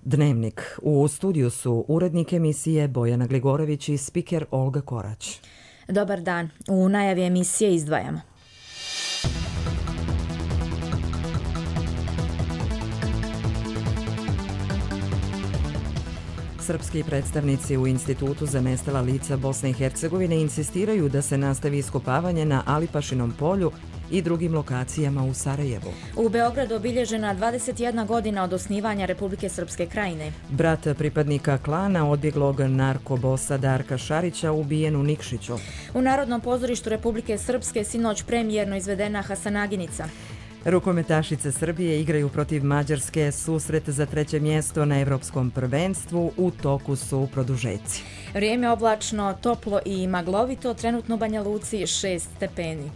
Dnevnik. U studiju su urednik emisije Bojana Gligorović i spiker Olga Korać. Dobar dan. U najavi emisije izdvajamo. Srpski predstavnici u Institutu za nestala lica Bosne i Hercegovine insistiraju da se nastavi iskopavanje na Alipašinom polju i drugim lokacijama u Sarajevu. U Beogradu obilježena 21 godina od osnivanja Republike Srpske Krajine. Brat pripadnika klana odbjeglog narkobosa Darka Šarića ubijen u Nikšiću. U Narodnom pozorištu Republike Srpske sinoć premijerno izvedena Hasanaginica. Rukometašice Srbije igraju protiv Mađarske, susret za 3. mjesto na Evropskom prvenstvu, u toku su produžeci. Vrijeme oblačno, toplo i maglovito, trenutno u Banja Luci 6 stepeni.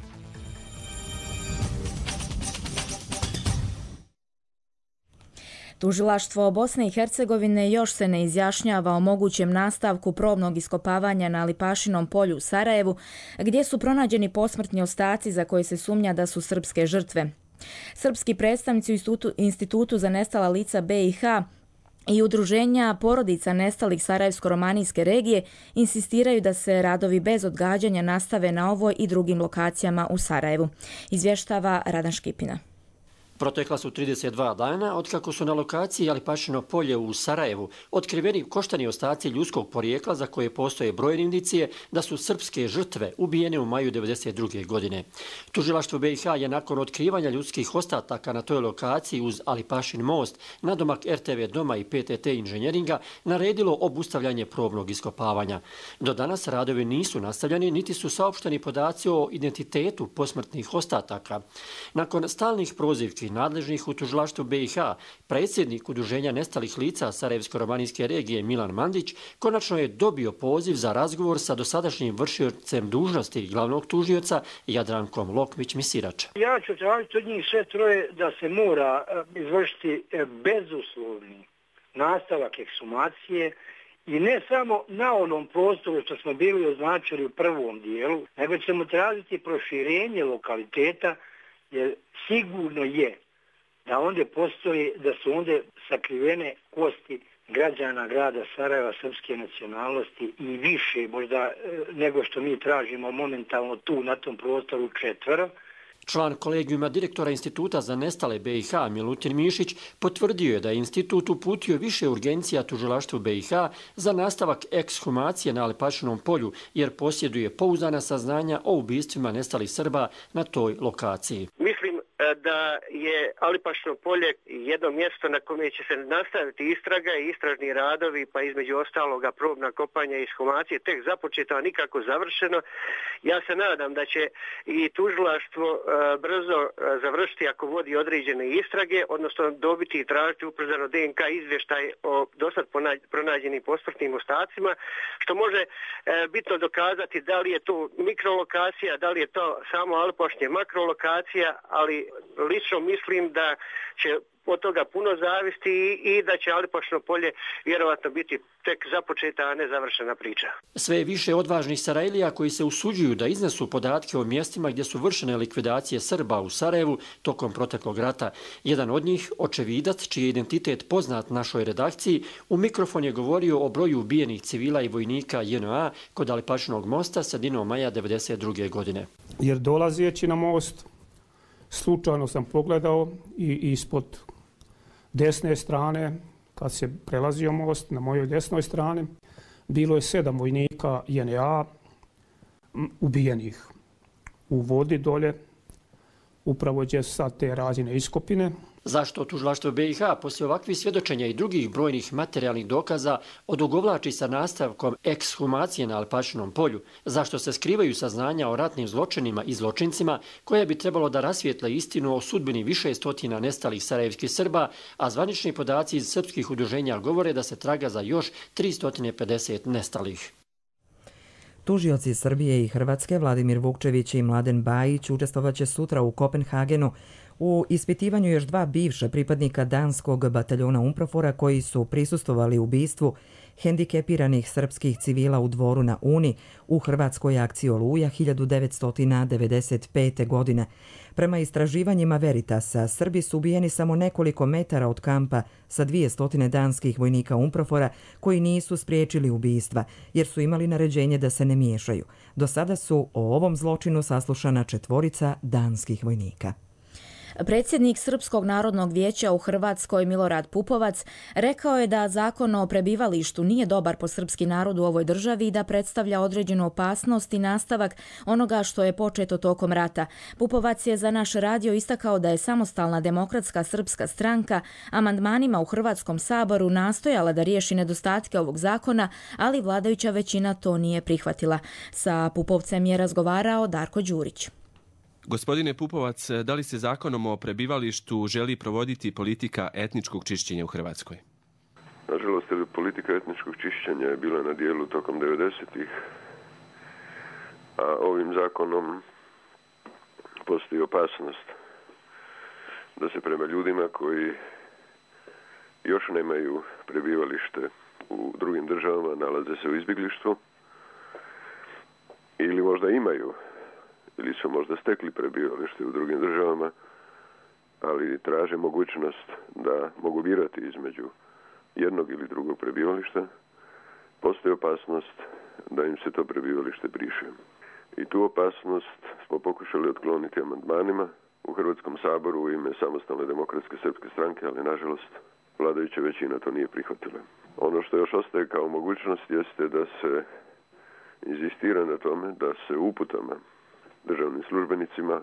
Tužilaštvo Bosne i Hercegovine još se ne izjašnjava o mogućem nastavku probnog iskopavanja na Alipašinom polju u Sarajevu, gdje su pronađeni posmrtni ostaci za koje se sumnja da su srpske žrtve. Srpski predstavnici u Institutu za nestala lica BiH i udruženja porodica nestalih Sarajevsko-romanijske regije insistiraju da se radovi bez odgađanja nastave na ovoj i drugim lokacijama u Sarajevu, izvještava Radan Škipina. Protekla su 32 dana otkako su na lokaciji Alipašino polje u Sarajevu otkriveni koštani ostaci ljudskog porijekla za koje postoje brojne indicije da su srpske žrtve ubijene u maju 1992. godine. Tužilaštvo BiH je nakon otkrivanja ljudskih ostataka na toj lokaciji uz Alipašin most, nadomak RTV doma i PTT inženjeringa naredilo obustavljanje probnog iskopavanja. Do danas radovi nisu nastavljeni niti su saopšteni podaci o identitetu posmrtnih ostataka. Nakon stalnih prozivki nadležnih u tužilaštvu BiH, predsjednik Udruženja nestalih lica Sarajevsko-romanijske regije Milan Mandić konačno je dobio poziv za razgovor sa dosadašnjim vršiocem dužnosti glavnog tužioca Jadrankom Lokmić-Misirač. Ja ću tražiti od njih sve troje da se mora izvršiti bezuslovni nastavak ekshumacije i ne samo na onom prostoru što smo bili označili u prvom dijelu, nego ćemo tražiti proširenje lokaliteta, jer sigurno je da ondje postoji, da su ondje sakrivene kosti građana grada Sarajeva srpske nacionalnosti i više možda nego što mi tražimo momentalno tu na tom prostoru 4. Član kolegijuma direktora Instituta za nestale BiH Milutin Mišić potvrdio je da je institut uputio više urgencija tužilaštvu BiH za nastavak ekshumacije na Alipašinom polju jer posjeduje pouzdana saznanja o ubistvima nestalih Srba na toj lokaciji. Mislim da je Alipašino polje jedno mjesto na kome će se nastaviti istraga i istražni radovi, pa između ostaloga probna kopanja i ekshumacije tek započeto, a nikako završeno. Ja se nadam da će i tužilaštvo brzo završiti ako vodi određene istrage, odnosno dobiti i tražiti ubrzano DNK izvještaj o dosad pronađenim posmrtnim ostacima, što može bitno dokazati da li je to mikrolokacija, da li je to samo Alipašnje makrolokacija, ali lično mislim da će od toga puno zavisti i da će Alipašno polje vjerovatno biti tek započeta, a ne završena priča. Sve je više odvažnih Sarajlija koji se usuđuju da iznesu podatke o mjestima gdje su vršene likvidacije Srba u Sarajevu tokom proteklog rata. Jedan od njih, očevidac, čiji je identitet poznat našoj redakciji, u mikrofon je govorio o broju ubijenih civila i vojnika JNA kod Alipašinog mosta sredinom maja 1992. godine. Jer dolazeći na most, slučajno sam pogledao i ispod desne strane, kad se prelazio most, na mojoj desnoj strani, bilo je 7 vojnika JNA ubijenih u vodi dolje, upravo gdje su sad te razine iskopine. Zašto tužilaštvo BiH poslije ovakvih svjedočenja i drugih brojnih materijalnih dokaza odugovlači sa nastavkom ekshumacije na Alipašinom polju? Zašto se skrivaju saznanja o ratnim zločinima i zločincima koje bi trebalo da rasvijetle istinu o sudbini više stotina nestalih sarajevskih Srba, a zvanični podaci iz srpskih udruženja govore da se traga za još 350 nestalih? Tužioci Srbije i Hrvatske Vladimir Vukčević i Mladen Bajić učestvovaće sutra u Kopenhagenu U ispitivanju još 2 bivša pripadnika danskog bataljona UNPROFOR-a koji su prisustvovali ubistvu hendikepiranih srpskih civila u Dvoru na Uni u hrvatskoj akciji Oluja 1995. godine. Prema istraživanjima Veritasa, Srbi su ubijeni samo nekoliko metara od kampa sa 200 danskih vojnika UNPROFOR-a koji nisu spriječili ubistva jer su imali naređenje da se ne miješaju. Do sada su o ovom zločinu saslušana 4 danskih vojnika. Predsjednik Srpskog narodnog vijeća u Hrvatskoj Milorad Pupovac rekao je da zakon o prebivalištu nije dobar po srpski narod u ovoj državi i da predstavlja određenu opasnost i nastavak onoga što je početo tokom rata. Pupovac je za naš radio istakao da je Samostalna demokratska srpska stranka amandmanima u Hrvatskom saboru nastojala da riješi nedostatke ovog zakona, ali vladajuća većina to nije prihvatila. Sa Pupovcem je razgovarao Darko Đurić. Gospodine Pupovac, da li se zakonom o prebivalištu želi provoditi politika etničkog čišćenja u Hrvatskoj? Nažalost, politika etničkog čišćenja je bila na dijelu tokom 90-ih, a ovim zakonom postoji opasnost da se prema ljudima koji još nemaju prebivalište u drugim državama, nalaze se u izbjeglištvu ili možda imaju ili su možda stekli prebivalište u drugim državama, ali traže mogućnost da mogu birati između jednog ili drugog prebivališta, postoji opasnost da im se to prebivalište briše. I tu opasnost smo pokušali otkloniti amandmanima u Hrvatskom saboru u ime Samostalne demokratske srpske stranke, ali nažalost vladajuća većina to nije prihvatila. Ono što još ostaje kao mogućnost jeste da se inzistira na tome da se uputama državnim službenicima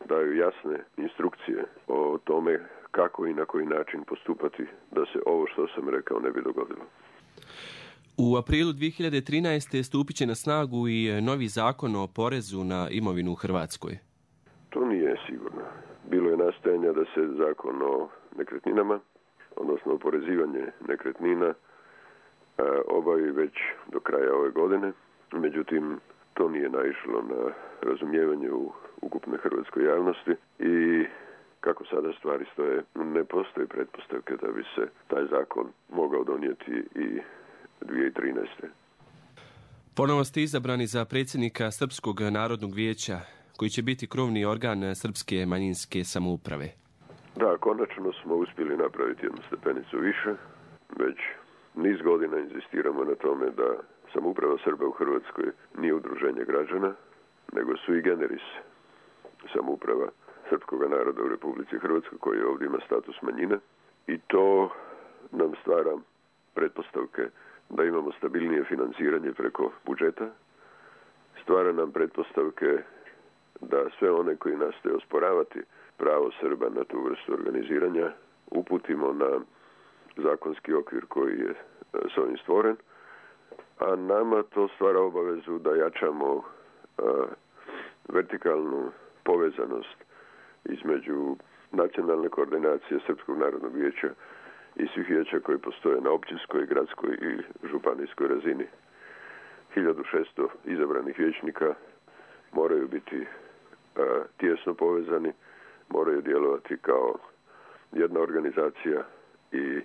daju jasne instrukcije o tome kako i na koji način postupati da se ovo što sam rekao ne bi dogodilo. U aprilu 2013. stupit će na snagu i novi zakon o porezu na imovinu u Hrvatskoj. To nije sigurno. Bilo je nastojanja da se zakon o nekretninama, odnosno oporezivanje nekretnina, obavi već do kraja ove godine. Međutim, to nije naišlo na razumijevanje u ukupnoj hrvatskoj javnosti i kako sada stvari stoje, ne postoji pretpostavke da bi se taj zakon mogao donijeti i 2013. Ponovo ste izabrani za predsjednika Srpskog narodnog vijeća, koji će biti krovni organ srpske manjinske samouprave. Da, konačno smo uspjeli napraviti jednu stepenicu više. Već niz godina inzistiramo na tome da samouprava Srba u Hrvatskoj nije udruženje građana, nego sui generis samouprava srpskog naroda u Republici Hrvatskoj koji ovdje ima status manjine i to nam stvara pretpostavke da imamo stabilnije financiranje preko budžeta, stvara nam pretpostavke da sve one koji nastoje osporavati pravo Srba na tu vrstu organiziranja uputimo na zakonski okvir koji je s ovim stvoren, a nama to stvara obavezu da jačamo vertikalnu povezanost između nacionalne koordinacije Srpskog narodnog vijeća i svih vijeća koji postoje na općinskoj, gradskoj i županijskoj razini. 1600 izabranih vijećnika moraju biti tijesno povezani, moraju djelovati kao jedna organizacija i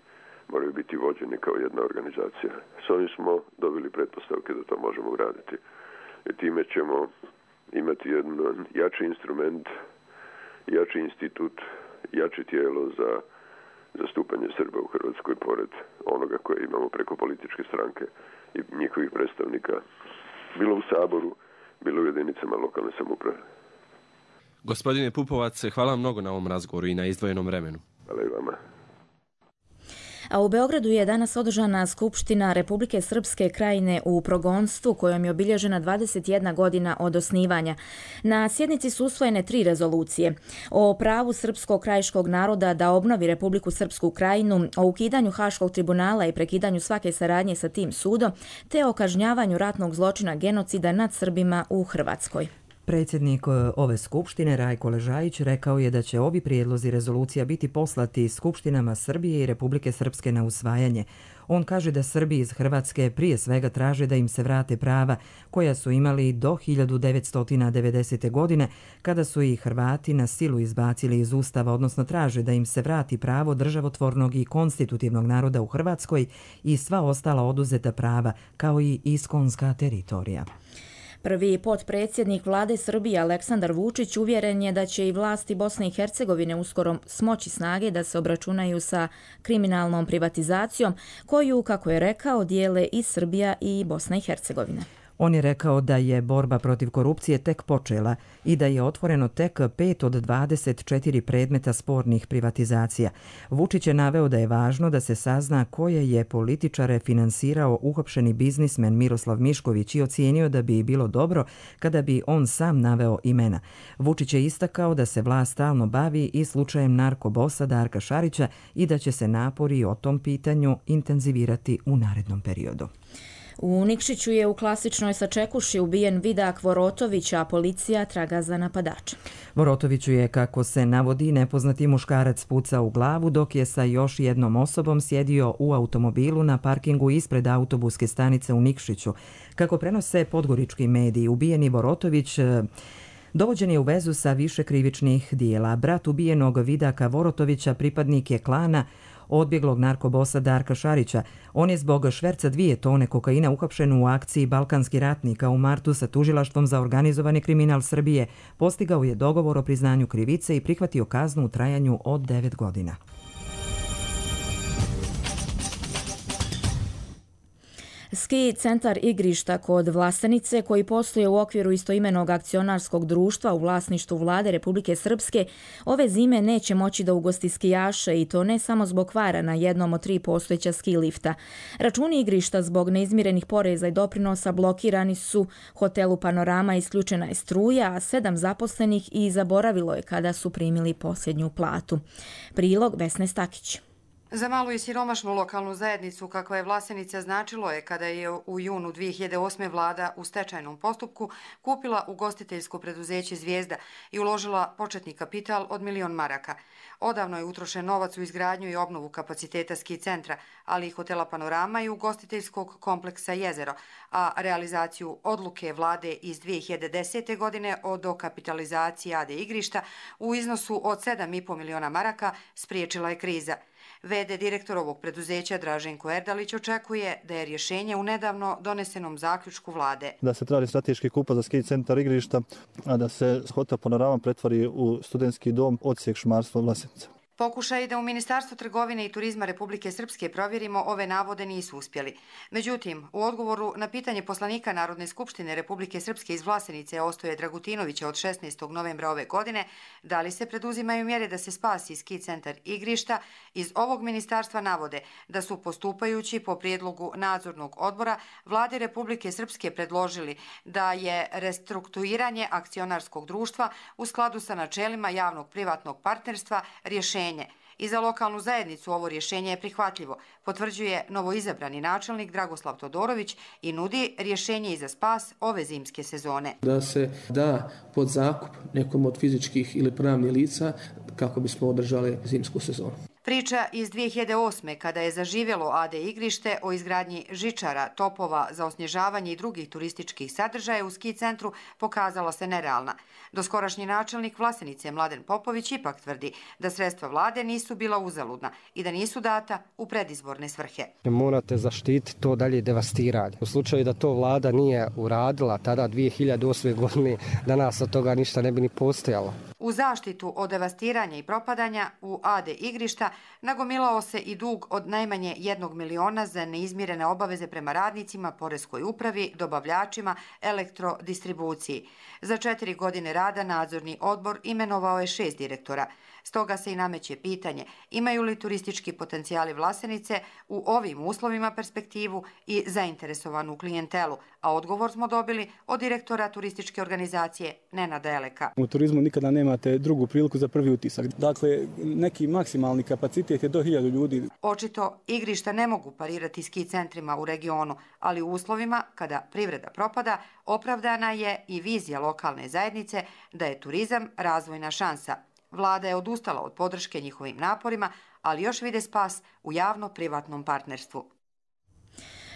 moraju biti vođeni kao jedna organizacija. S ovim smo dobili pretpostavke da to možemo uraditi. I time ćemo imati jedan jači instrument, jači institut, jače tijelo za zastupanje Srba u Hrvatskoj pored onoga koje imamo preko političke stranke i njihovih predstavnika, bilo u Saboru, bilo u jedinicama lokalne samouprave. Gospodine Pupovac, hvala vam mnogo na ovom razgovoru i na izdvojenom vremenu. Hvala i vama. A u Beogradu je danas održana Skupština Republike Srpske Krajine u progonstvu kojom je obilježena 21 godina od osnivanja. Na sjednici su usvojene 3 rezolucije o pravu srpskog krajiškog naroda da obnovi Republiku Srpsku Krajinu, o ukidanju Haškog tribunala i prekidanju svake saradnje sa tim sudom, te o kažnjavanju ratnog zločina genocida nad Srbima u Hrvatskoj. Predsjednik ove skupštine Rajko Ležajić rekao je da će ovi prijedlozi rezolucija biti poslati skupštinama Srbije i Republike Srpske na usvajanje. On kaže da Srbi iz Hrvatske prije svega traže da im se vrate prava koja su imali do 1990. godine kada su i Hrvati na silu izbacili iz Ustava, odnosno traže da im se vrati pravo državotvornog i konstitutivnog naroda u Hrvatskoj i sva ostala oduzeta prava, kao i iskonska teritorija. Prvi potpredsjednik vlade Srbije Aleksandar Vučić uvjeren je da će i vlasti Bosne i Hercegovine uskoro smoći snage da se obračunaju sa kriminalnom privatizacijom koju, kako je rekao, dijele i Srbija i Bosna i Hercegovina. On je rekao da je borba protiv korupcije tek počela i da je otvoreno tek 5 od 24 predmeta spornih privatizacija. Vučić je naveo da je važno da se sazna koje je političare finansirao uhapšeni biznismen Miroslav Mišković i ocijenio da bi bilo dobro kada bi on sam naveo imena. Vučić je istakao da se vlast stalno bavi i slučajem narkobosa Darka Šarića i da će se napori o tom pitanju intenzivirati u narednom periodu. U Nikšiću je u klasičnoj sačekuši ubijen Vidak Vorotović, a policija traga za napadača. Vorotoviću je, kako se navodi, nepoznati muškarac pucao u glavu dok je sa još jednom osobom sjedio u automobilu na parkingu ispred autobuske stanice u Nikšiću. Kako prenose podgorički mediji, ubijeni Vorotović dovođen je u vezu sa više krivičnih dijela. Brat ubijenog Vidaka Vorotovića pripadnik je klana odbjeglog narkobosa Darka Šarića. On je zbog šverca 2 tone kokaina uhapšen u akciji Balkanski ratnik, a u martu sa tužilaštvom za organizovani kriminal Srbije postigao je dogovor o priznanju krivice i prihvatio kaznu u trajanju od 9 godina. Ski centar Igrišta kod Vlasenice, koji postoje u okviru istoimenog akcionarskog društva u vlasništvu vlade Republike Srpske, ove zime neće moći da ugosti skijaše i to ne samo zbog kvara na jednom od 3 postojeća ski lifta. Računi Igrišta zbog neizmirenih poreza i doprinosa blokirani su, hotelu Panorama isključena je struja, a 7 zaposlenih i zaboravilo je kada su primili posljednju platu. Prilog Vesne Stakić. Za malu i siromašnu lokalnu zajednicu kakva je Vlasenica značilo je kada je u junu 2008. vlada u stečajnom postupku kupila ugostiteljsko preduzeće Zvijezda i uložila početni kapital od 1 milion maraka. Odavno je utrošen novac u izgradnju i obnovu kapaciteta ski centra, ali i hotela Panorama i ugostiteljskog kompleksa Jezero, a realizaciju odluke vlade iz 2010. godine o dokapitalizaciji AD Igrišta u iznosu od 7,5 miliona maraka spriječila je kriza. VD direktor ovog preduzeća Draženko Erdalić očekuje da je rješenje u nedavno donesenom zaključku vlade. Da se traži strateški kupac za ski centar Igrišta, a da se hotel Panorama pretvori u studentski dom odsjek šumarstva Vlasenica. Pokušaj da u Ministarstvu trgovine i turizma Republike Srpske provjerimo ove navode nisu uspjeli. Međutim, u odgovoru na pitanje poslanika Narodne skupštine Republike Srpske iz Vlasenice Ostoje Dragutinovića od 16. novembra ove godine, da li se preduzimaju mjere da se spasi ski centar Igrišta, iz ovog ministarstva navode da su postupajući po prijedlogu nadzornog odbora vlade Republike Srpske predložili da je restrukturiranje akcionarskog društva u skladu sa načelima javnog privatnog partnerstva rješenje. I za lokalnu zajednicu ovo rješenje je prihvatljivo, potvrđuje novoizabrani načelnik Dragoslav Todorović i nudi rješenje i za spas ove zimske sezone. Da se da pod zakup nekom od fizičkih ili pravnih lica kako bismo održali zimsku sezonu. Priča iz 2008. kada je zaživjelo AD Igrište o izgradnji žičara, topova za osnježavanje i drugih turističkih sadržaja u ski centru pokazala se nerealna. Doskorašnji načelnik Vlasenice Mladen Popović ipak tvrdi da sredstva vlade nisu bila uzaludna i da nisu data u predizborne svrhe. Morate zaštiti to dalje devastiranje. U slučaju da to vlada nije uradila tada 2008. godine, danas od toga ništa ne bi ni postojalo. U zaštitu od devastiranja i propadanja u AD Igrišta nagomilao se i dug od najmanje 1 miliona za neizmirene obaveze prema radnicima, poreskoj upravi, dobavljačima, elektrodistribuciji. Za 4 godine rada nadzorni odbor imenovao je 6 direktora. Stoga se i nameće pitanje imaju li turistički potencijali Vlasenice u ovim uslovima perspektivu i zainteresovanu klijentelu, a odgovor smo dobili od direktora turističke organizacije Nenada Eleka. U turizmu nikada nemate drugu priliku za prvi utisak. Dakle, neki maksimalni kapacitet je do 1000 ljudi. Očito igrišta ne mogu parirati ski centrima u regionu, ali u uslovima kada privreda propada, opravdana je i vizija lokalne zajednice da je turizam razvojna šansa. Vlada je odustala od podrške njihovim naporima, ali još vide spas u javno-privatnom partnerstvu.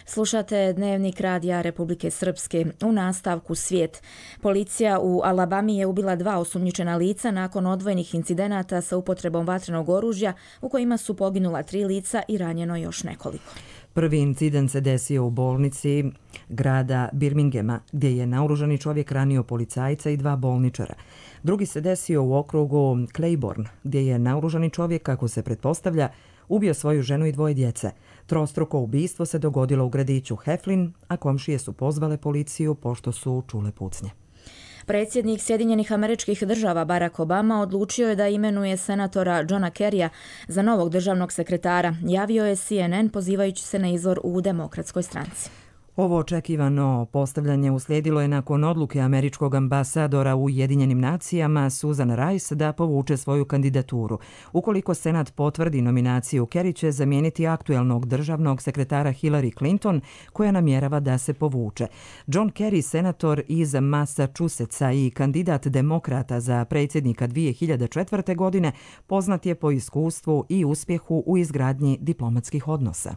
Slušate Dnevnik radija Republike Srpske. U nastavku svijet. Policija u Alabami je ubila 2 osumnjičena lica nakon odvojenih incidenata sa upotrebom vatrenog oružja u kojima su poginula 3 lica i ranjeno još nekoliko. Prvi incident se desio u bolnici grada Birminghama, gdje je naoružani čovjek ranio policajca i 2 bolničara. Drugi se desio u okrugu Claiborne, gdje je naoružani čovjek, kako se pretpostavlja, ubio svoju ženu i 2 djece. Trostruko ubistvo se dogodilo u gradiću Heflin, a komšije su pozvale policiju pošto su čule pucnje. Predsjednik Sjedinjenih Američkih Država Barack Obama odlučio je da imenuje senatora Johna Kerrya za novog državnog sekretara, javio je CNN pozivajući se na izvor u Demokratskoj stranci. Ovo očekivano postavljanje uslijedilo je nakon odluke američkog ambasadora u Ujedinjenim nacijama Susan Rice da povuče svoju kandidaturu. Ukoliko Senat potvrdi nominaciju, Kerry će zamijeniti aktuelnog državnog sekretara Hillary Clinton, koja namjerava da se povuče. John Kerry, senator iz Massachusettsa i kandidat demokrata za predsjednika 2004. godine, poznat je po iskustvu i uspjehu u izgradnji diplomatskih odnosa.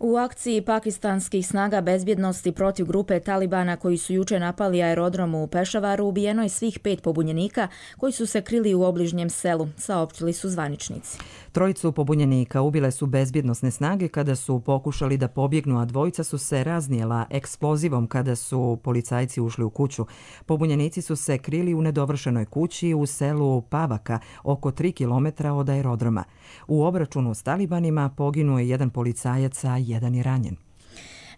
U akciji pakistanskih snaga bezbjednosti protiv grupe Talibana koji su juče napali aerodrom u Pešavaru ubijeno je svih 5 pobunjenika koji su se krili u obližnjem selu, saopćili su zvaničnici. 3 pobunjenika ubile su bezbjednosne snage kada su pokušali da pobjegnu, a 2 su se raznijela eksplozivom kada su policajci ušli u kuću. Pobunjenici su se krili u nedovršenoj kući u selu Pavaka, oko 3 km od aerodroma. U obračunu s Talibanima poginuo je 1 policajac, a 1 je ranjen.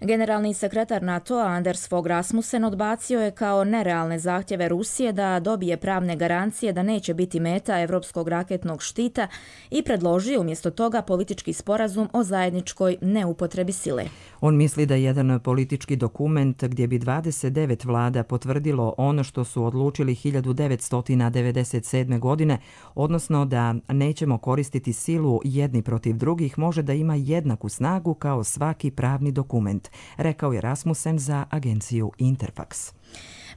Generalni sekretar NATO-a Anders Fogh Rasmussen odbacio je kao nerealne zahtjeve Rusije da dobije pravne garancije da neće biti meta evropskog raketnog štita i predložio umjesto toga politički sporazum o zajedničkoj neupotrebi sile. On misli da jedan politički dokument gdje bi 29 vlada potvrdilo ono što su odlučili 1997. godine, odnosno da nećemo koristiti silu jedni protiv drugih, može da ima jednaku snagu kao svaki pravni dokument, rekao je Rasmussen za agenciju Interfax.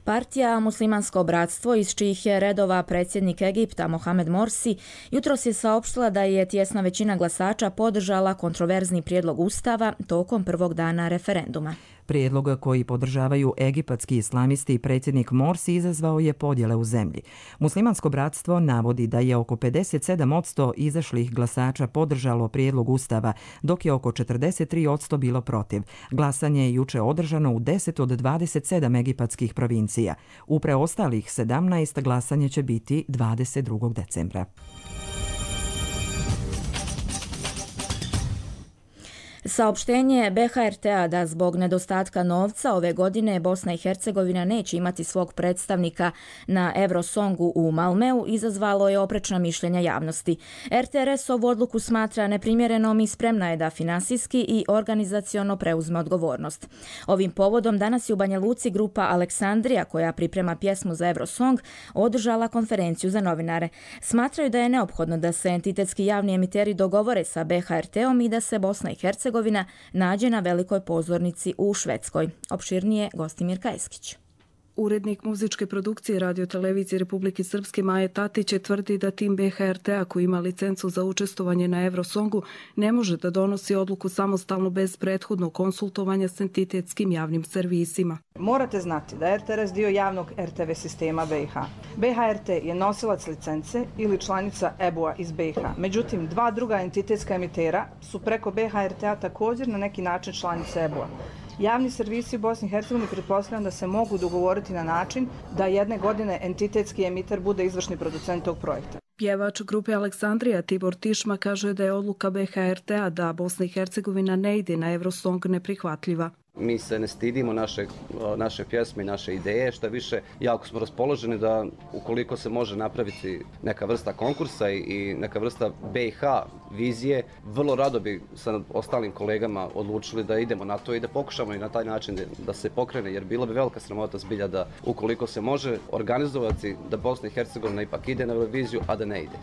Partija Muslimansko bratstvo, iz čijih je redova predsjednik Egipta Mohamed Morsi, jutros je saopštila da je tjesna većina glasača podržala kontroverzni prijedlog ustava tokom prvog dana referenduma. Prijedlog koji podržavaju egipatski islamisti i predsjednik Morsi izazvao je podjele u zemlji. Muslimansko bratstvo navodi da je oko 57% izašlih glasača podržalo prijedlog ustava, dok je oko 43% bilo protiv. Glasanje je juče održano u 10 od 27 egipatskih provincija. U preostalih 17 glasanje će biti 22. decembra. Saopštenje BHRT-a da zbog nedostatka novca ove godine Bosna i Hercegovina neće imati svog predstavnika na Eurosongu u Malmeu izazvalo je oprečna mišljenja javnosti. RTRS ovu odluku smatra neprimjerenom i spremna je da finansijski i organizaciono preuzme odgovornost. Ovim povodom danas je u Banja Luci grupa Aleksandrija, koja priprema pjesmu za Eurosong, održala konferenciju za novinare. Smatraju da je neophodno da se entitetski javni emiteri dogovore sa BHRT-om i da se Bosna i Hercegovina nađe na velikoj pozornici u Švedskoj. Opširnije Gostimir Kajskić. Urednik muzičke produkcije radiotelevizije Republike Srpske Maje Tatić tvrdi da tim BHRT-a koji ima licencu za učestvovanje na Eurosongu ne može da donosi odluku samostalno bez prethodnog konsultovanja s entitetskim javnim servisima. Morate znati da je RTRS dio javnog RTV sistema BiH. BHRT je nosilac licence ili članica EBU-a iz BiH. Međutim, 2 druga entitetska emitera su preko BHRT-a također na neki način članice EBU-a. Javni servisi u Bosni i Hercegovini pretpostavljam da se mogu dogovoriti na način da jedne godine entitetski emiter bude izvršni producent tog projekta. Pjevač grupe Aleksandrija Tibor Tišma kaže da je odluka BHRT-a da Bosna i Hercegovina ne ide na Eurosong neprihvatljiva. Mi se ne stidimo naše pjesme i naše ideje, što više jako smo raspoloženi da ukoliko se može napraviti neka vrsta konkursa i neka vrsta BiH vizije, vrlo rado bi sa ostalim kolegama odlučili da idemo na to i da pokušamo i na taj način da se pokrene, jer bilo bi velika sramota zbilja da ukoliko se može organizovati da Bosna i Hercegovina ipak ide na Euroviziju, a da ne ide.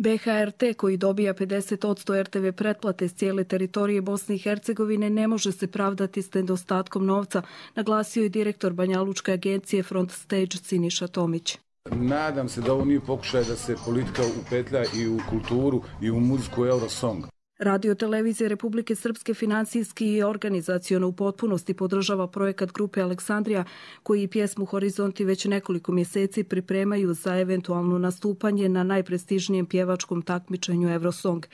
BHRT, koji dobija 50% RTV pretplate s cijele teritorije Bosne i Hercegovine, ne može se pravdati s nedostatkom novca, naglasio je direktor Banjalučke agencije Front Stage Siniša Tomić. Nadam se da ovo nije pokušaj da se politika upetlja i u kulturu i u muziku Eurosong. Radio televizije Republike Srpske financijski i organizaciono u potpunosti podržava projekat grupe Aleksandrija, koji pjesmu Horizonti već nekoliko mjeseci pripremaju za eventualno nastupanje na najprestižnijem pjevačkom takmičenju Eurosong.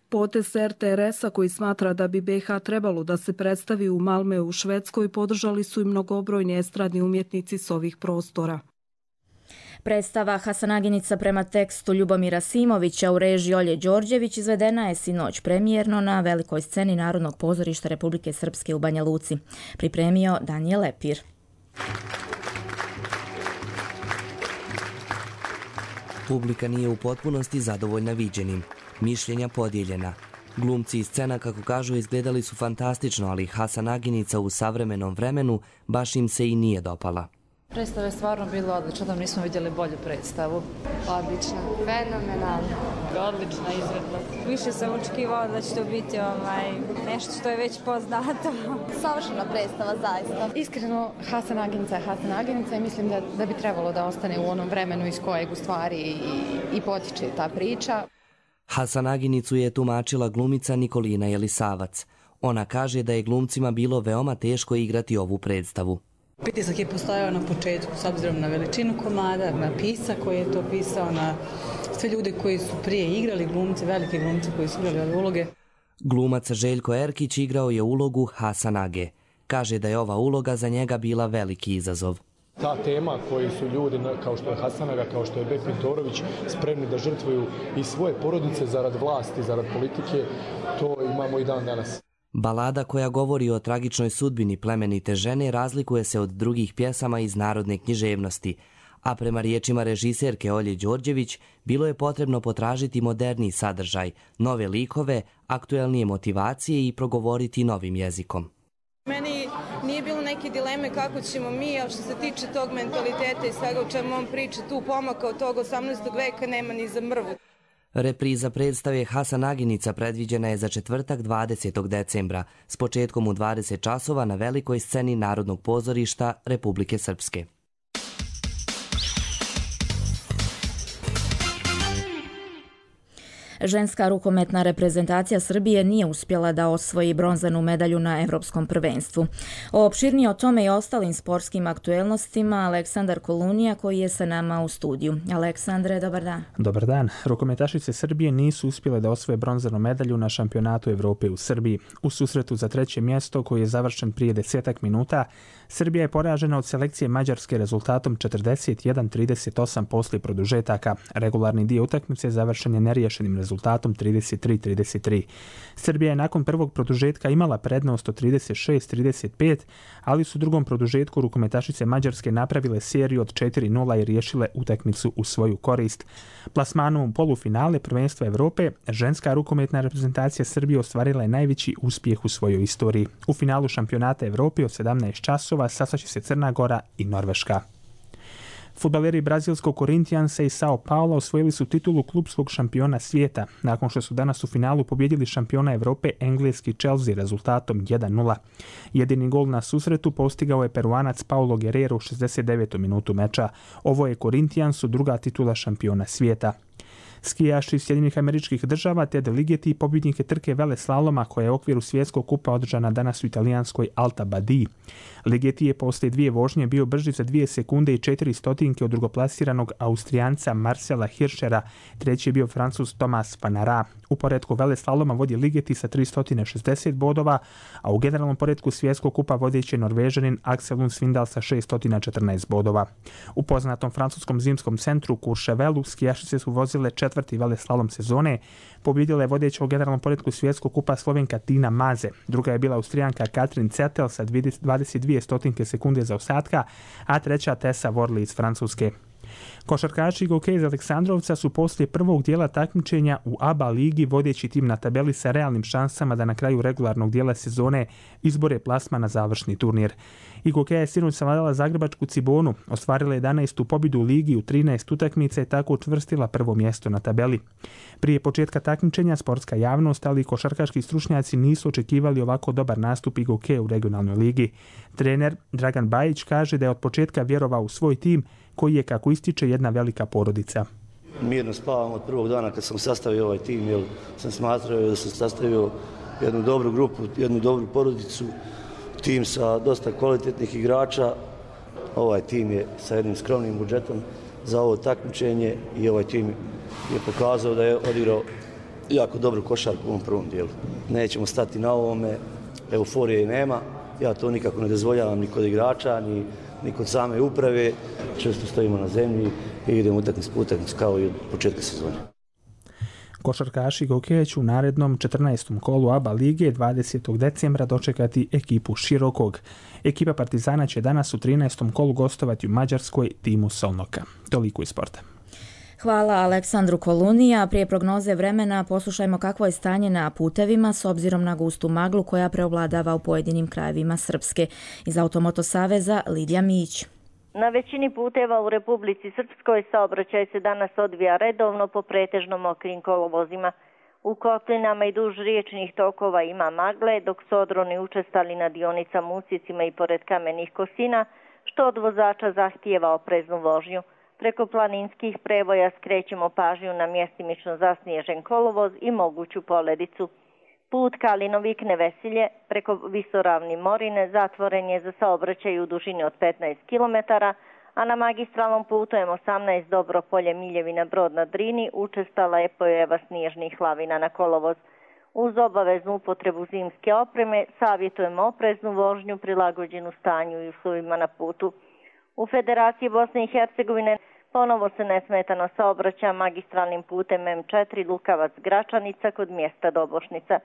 Potez RTRS-a, koji smatra da bi BiH trebalo da se predstavi u Malmeu u Švedskoj, podržali su i mnogobrojni estradni umjetnici s ovih prostora. Predstava Hasanaginica prema tekstu Ljubomira Simovića u režiji Olje Đorđević izvedena je sinoć premijerno na velikoj sceni Narodnog pozorišta Republike Srpske u Banja Luci. Pripremio Danijel Lepir. Publika nije u potpunosti zadovoljna viđenim. Mišljenja podijeljena. Glumci i scena, kako kažu, izgledali su fantastično, ali Hasanaginica u savremenom vremenu baš im se i nije dopala. Predstava je stvarno bila odlična, da nismo vidjeli bolju predstavu. Odlična, fenomenalna. Odlična izvedba. Više sam očekivala da će to biti nešto što je već poznato. Savršena predstava, zaista. Iskreno, Hasanaginica je Hasanaginica i mislim da bi trebalo da ostane u onom vremenu iz kojeg u stvari i potiče ta priča. Hasanaginicu je tumačila glumica Nikolina Jelisavac. Ona kaže da je glumcima bilo veoma teško igrati ovu predstavu. Pritisak je postojao na početku s obzirom na veličinu komada, na pisa koji je to pisao, na sve ljude koji su prije igrali glumce, velike glumce koji su igrali ove uloge. Glumac Željko Erkić igrao je ulogu Hasanage. Kaže da je ova uloga za njega bila veliki izazov. Ta tema koju su ljudi, kao što je Hasanaga, kao što je Bek Pintorović, spremni da žrtvuju i svoje porodice zarad vlasti, zarad politike, to imamo i dan danas. Balada koja govori o tragičnoj sudbini plemenite žene razlikuje se od drugih pjesama iz narodne književnosti, a prema riječima režiserke Olje Đorđević bilo je potrebno potražiti moderniji sadržaj, nove likove, aktuelnije motivacije i progovoriti novim jezikom. Meni nije bilo neke dileme kako ćemo mi, ali što se tiče tog mentaliteta i svega o čemu on priča, tu pomaka od tog 18. veka nema ni za mrvu. Repriza predstave Hasanaginica predviđena je za četvrtak 20. decembra s početkom u 20 časova na velikoj sceni Narodnog pozorišta Republike Srpske. Ženska rukometna reprezentacija Srbije nije uspjela da osvoji bronzanu medalju na Evropskom prvenstvu. Opširnije o tome i ostalim sportskim aktuelnostima Aleksandar Kolunija, koji je sa nama u studiju. Aleksandre, dobar dan. Dobar dan. Rukometašice Srbije nisu uspjele da osvoje bronzanu medalju na šampionatu Evrope u Srbiji. U susretu za treće mjesto, koji je završen prije 10 minuta, Srbija je poražena od selekcije Mađarske rezultatom 41-38 poslije produžetaka. Regularni dio utakmice završen je neriješenim rezultatom 33-33. Srbija je nakon prvog produžetka imala prednost od 36-35, ali su u drugom produžetku rukometašice Mađarske napravile seriju od 4-0 i riješile utakmicu u svoju korist. Plasmanom u polufinale prvenstva Evrope, ženska rukometna reprezentacija Srbije ostvarila je najveći uspjeh u svojoj istoriji. U finalu šampionata Evrope od 17 časova sastaće se Crna Gora i Norveška. Fudbaleri brazilskog Corinthiansa i Sao Paulo osvojili su titulu klubskog šampiona svijeta, nakon što su danas u finalu pobjedili šampiona Evrope engleski Chelsea rezultatom 1-0. Jedini gol na susretu postigao je Peruanac Paulo Guerrero u 69. minutu meča. Ovo je Corinthiansu druga titula šampiona svijeta. Skijaši iz Sjedinjenih Američkih Država Ted Ligeti pobjednike trke veleslaloma koja je u okviru svjetskog kupa održana danas u italijanskoj Alta Badiji. Ligeti je poslije dvije vožnje bio brži za 2 sekunde i 4 stotinke od drugoplasiranog Austrijanca Marcela Hirschera, treći je bio Francuz Thomas Panara. U poretku veleslaloma vodi Ligeti sa 360 bodova, a u generalnom poretku svjetskog kupa vodeći je Norvežanin Axel Lund Svindal sa 614 bodova. U poznatom francuskom zimskom centru Courchevelu skijašice su vozile 4. veleslalom sezone. Pobjedila je vodeća u generalnom poretku svjetskog kupa Slovenka Tina Maze. Druga je bila Austrijanka Katrin Zettel sa 22 sekunde zaostatka, a treća Tessa Worley iz Francuske. Košarkaši Goke iz Aleksandrovca su poslije prvog dijela takmičenja u ABA ligi vodeći tim na tabeli sa realnim šansama da na kraju regularnog dijela sezone izbore plasma na završni turnir. I Gokeja je sinoć savladala zagrebačku Cibonu, ostvarila 11. pobjedu u ligi u 13 utakmica i tako učvrstila prvo mjesto na tabeli. Prije početka takmičenja sportska javnost, ali i košarkaški stručnjaci nisu očekivali ovako dobar nastup Gokeje u regionalnoj ligi. Trener Dragan Bajić kaže da je od početka vjerovao u svoj tim koji je, kako ističe, jedna velika porodica. Mirno spavam od prvog dana kad sam sastavio ovaj tim, jer sam smatrao da sam sastavio jednu dobru grupu, jednu dobru porodicu, tim sa dosta kvalitetnih igrača. Ovaj tim je sa jednim skromnim budžetom za ovo takmičenje i ovaj tim je pokazao da je odigrao jako dobru košarku u ovom prvom dijelu. Nećemo stati na ovome, euforije nema, ja to nikako ne dozvoljavam ni kod igrača, ni kod same uprave, često stojimo na zemlji i idemo utakmicu po utakmicu kao i od početka sezone. Košarkaši Gokeja će u narednom 14. kolu ABA lige 20. decembra dočekati ekipu Širokog. Ekipa Partizana će danas u 13. kolu gostovati u Mađarskoj timu Solnoka. Toliko iz sporta. Hvala Aleksandru Kolunija. Prije prognoze vremena poslušajmo kakvo je stanje na putevima s obzirom na gustu maglu koja preovladava u pojedinim krajevima Srpske. Iz Automoto Saveza Lidija Mić. Na većini puteva u Republici Srpskoj saobraćaj se danas odvija redovno po pretežno mokrim kolovozima. U kotlinama i duž riječnih tokova ima magle, dok su odroni učestali na dionicama usjecima i pored kamenih kosina, što od vozača zahtijeva opreznu vožnju. Preko planinskih prevoja skrećemo pažnju na mjestimično zasnježen kolovoz i moguću poledicu. Put Kalinovik-Nevesilje preko Visoravni Morine zatvoren je za saobraćaj u dužini od 15 km, a na magistralnom putu M18 Dobropolje-Miljevina-Brod na Drini učestala je pojava snježnih lavina na kolovoz. Uz obaveznu upotrebu zimske opreme savjetujemo opreznu vožnju prilagođenu stanju i uslovima na putu. U Federaciji Bosne i Hercegovine ponovo se nesmetano saobraća magistralnim putem M4 Lukavac-Gračanica kod mjesta Dobošnica.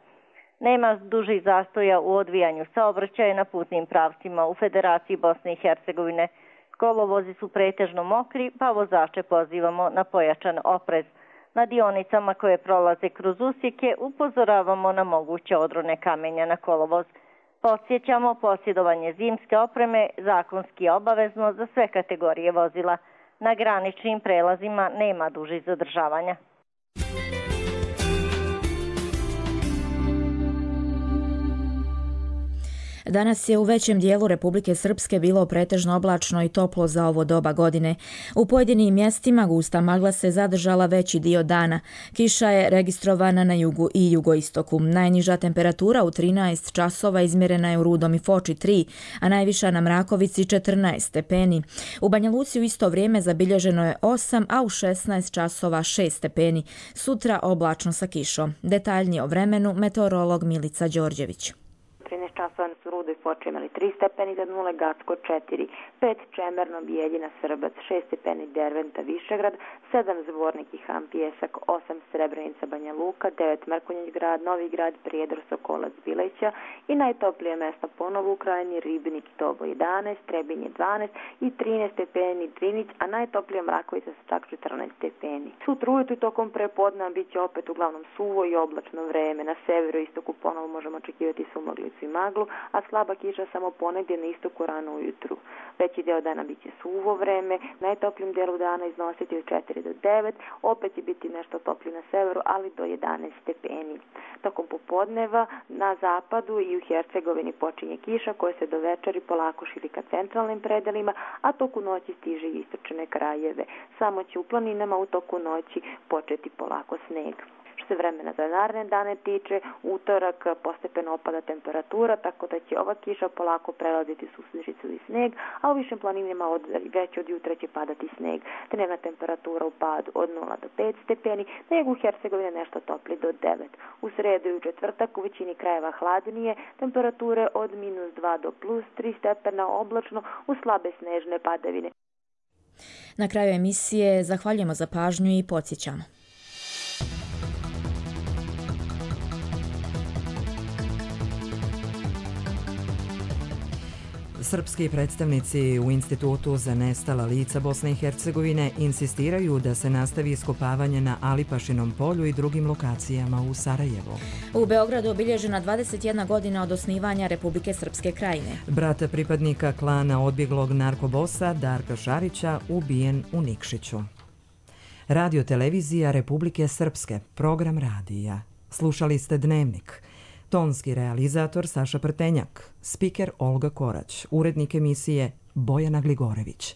Nema dužih zastoja u odvijanju saobraćaja na putnim pravcima u Federaciji Bosne i Hercegovine. Kolovozi su pretežno mokri, pa vozače pozivamo na pojačan oprez. Na dionicama koje prolaze kroz usjeke upozoravamo na moguće odrone kamenja na kolovoz. Podsjećamo, posjedovanje zimske opreme zakonski je obavezno za sve kategorije vozila. Na graničnim prelazima nema dužih zadržavanja. Danas je u većem dijelu Republike Srpske bilo pretežno oblačno i toplo za ovo doba godine. U pojedinim mjestima gusta magla se zadržala veći dio dana. Kiša je registrovana na jugu i jugoistoku. Najniža temperatura u 13 časova izmjerena je u Rudom i Foči 3, a najviša na Mrakovici 14 stepeni. U Banja Luci u isto vrijeme zabilježeno je 8, a u 16 časova 6 stepeni. Sutra oblačno sa kišom. Detaljnije o vremenu meteorolog Milica Đorđević. 13 časova su Rudo i Foče imali 3 stepeni za 0, Gacko 4, 5 Čemerno, Bijeljina, Srbac, 6 stepeni Derventa, Višegrad, 7 Zvornik i Han, Pijesak, 8 Srebrenica, Banja Luka, 9 Mrkonjić grad, Novi grad, Prijedor, Sokolac, Bileća i najtoplije mjesta ponovo u krajini Ribnik i Tobo 11, Trebinje 12 i 13 stepeni Drinić, a najtoplije Mrakovica sa čak 14 stepeni. Sutra ujutru tokom prepodneva bit će opet uglavnom suvo i oblačno vreme. Na severu i istoku ponovo možemo očekivati sumaglicu i maglu, a slaba kiša samo ponegdje na istoku rano ujutru. Veći dio dana bit će suvo vreme, najtoplijim dijelu dana iznositi od 4 do 9, opet će biti nešto toplije na severu, ali do 11 stepeni. Tokom popodneva na zapadu i u Hercegovini počinje kiša koja se do večeri polako širi ka centralnim predelima, a toku noći stiže i istočne krajeve. Samo će u planinama u toku noći početi polako sneg. Što se vremena za naredne dane tiče, utorak postepeno opada temperatura, tako da će ova kiša polako prelaziti susnežicu i sneg, a u višim planinama već od jutra će padati sneg. Dnevna temperatura u padu od 0 do 5 stepeni, na jugu Hercegovine nešto topli do 9. U sredu i u četvrtak u većini krajeva hladnije, temperature od -2 do +3 stepena oblačno u slabe snežne padavine. Na kraju emisije zahvaljujemo za pažnju i podsjećamo. Srpski predstavnici u Institutu za nestala lica Bosne i Hercegovine insistiraju da se nastavi iskopavanje na Alipašinom polju i drugim lokacijama u Sarajevu. U Beogradu obilježena 21 godina od osnivanja Republike Srpske krajine. Brat pripadnika klana odbjeglog narkobosa Darka Šarića ubijen u Nikšiću. Radio televizija Republike Srpske, program radija. Slušali ste Dnevnik. Tonski realizator Saša Prtenjak, spiker Olga Korać, urednik emisije Bojana Gligorević.